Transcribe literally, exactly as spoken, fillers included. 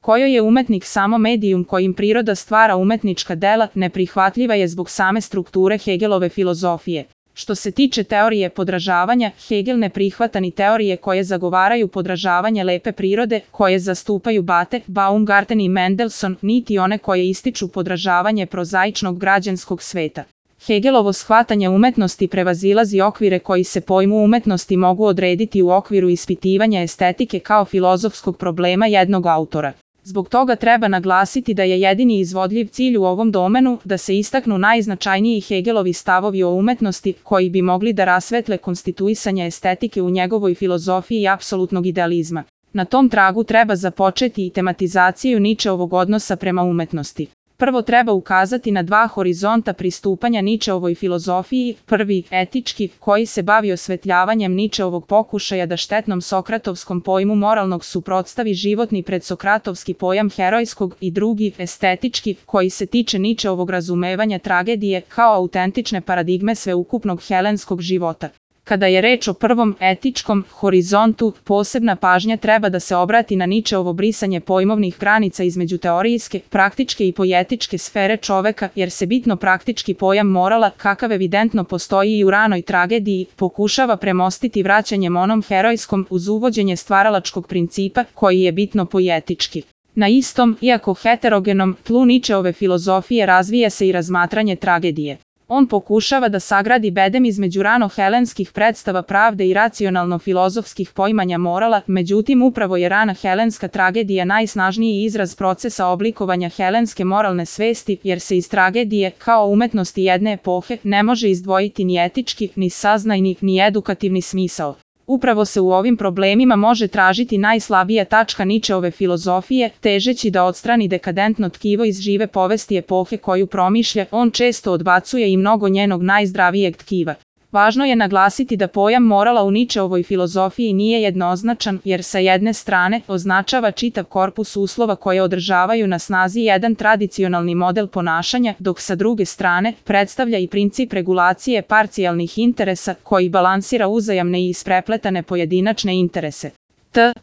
kojoj je umetnik samo medijum kojim priroda stvara umetnička dela, neprihvatljiva je zbog same strukture Hegelove filozofije. Što se tiče teorije podražavanja, Hegel ne prihvata ni teorije koje zagovaraju podražavanje lepe prirode, koje zastupaju Bethe, Baumgarten i Mendelssohn, niti one koje ističu podražavanje prozaičnog građanskog sveta. Hegelovo shvatanje umetnosti prevazilazi okvire koji se pojmu umetnosti mogu odrediti u okviru ispitivanja estetike kao filozofskog problema jednog autora. Zbog toga treba naglasiti da je jedini izvodljiv cilj u ovom domenu da se istaknu najznačajniji Hegelovi stavovi o umetnosti koji bi mogli da rasvetle konstituisanje estetike u njegovoj filozofiji apsolutnog idealizma. Na tom tragu treba započeti i tematizaciju Nietzscheovog odnosa prema umetnosti. Prvo treba ukazati na dva horizonta pristupanja Nietzscheovoj filozofiji, prvi, etički, koji se bavi osvetljavanjem Nietzscheovog pokušaja da štetnom sokratovskom pojmu moralnog suprotstavi životni predsokratovski pojam herojskog, i drugi, estetički, koji se tiče Nietzscheovog razumevanja tragedije kao autentične paradigme sveukupnog helenskog života. Kada je reč o prvom, etičkom, horizontu, posebna pažnja treba da se obrati na Nietzscheovo brisanje pojmovnih granica između teorijske, praktičke i poetičke sfere čoveka, jer se bitno praktički pojam morala, kakav evidentno postoji i u ranoj tragediji, pokušava premostiti vraćanjem onom herojskom uz uvođenje stvaralačkog principa, koji je bitno poetički. Na istom, iako heterogenom, tlu Nietzscheove filozofije razvija se i razmatranje tragedije. On pokušava da sagradi bedem između rano-helenskih predstava pravde i racionalno-filozofskih poimanja morala, međutim upravo je rana helenska tragedija najsnažniji izraz procesa oblikovanja helenske moralne svesti, jer se iz tragedije, kao umetnosti jedne epohe, ne može izdvojiti ni etički, ni saznajni, ni edukativni smisao. Upravo se u ovim problemima može tražiti najslabija tačka Nietzscheove filozofije, težeći da odstrani dekadentno tkivo iz žive povesti epohe koju promišlja, on često odbacuje i mnogo njenog najzdravijeg tkiva. Važno je naglasiti da pojam morala u Nietzscheovoj filozofiji nije jednoznačan, jer sa jedne strane označava čitav korpus uslova koje održavaju na snazi jedan tradicionalni model ponašanja, dok sa druge strane predstavlja i princip regulacije parcijalnih interesa koji balansira uzajamne i isprepletane pojedinačne interese. T.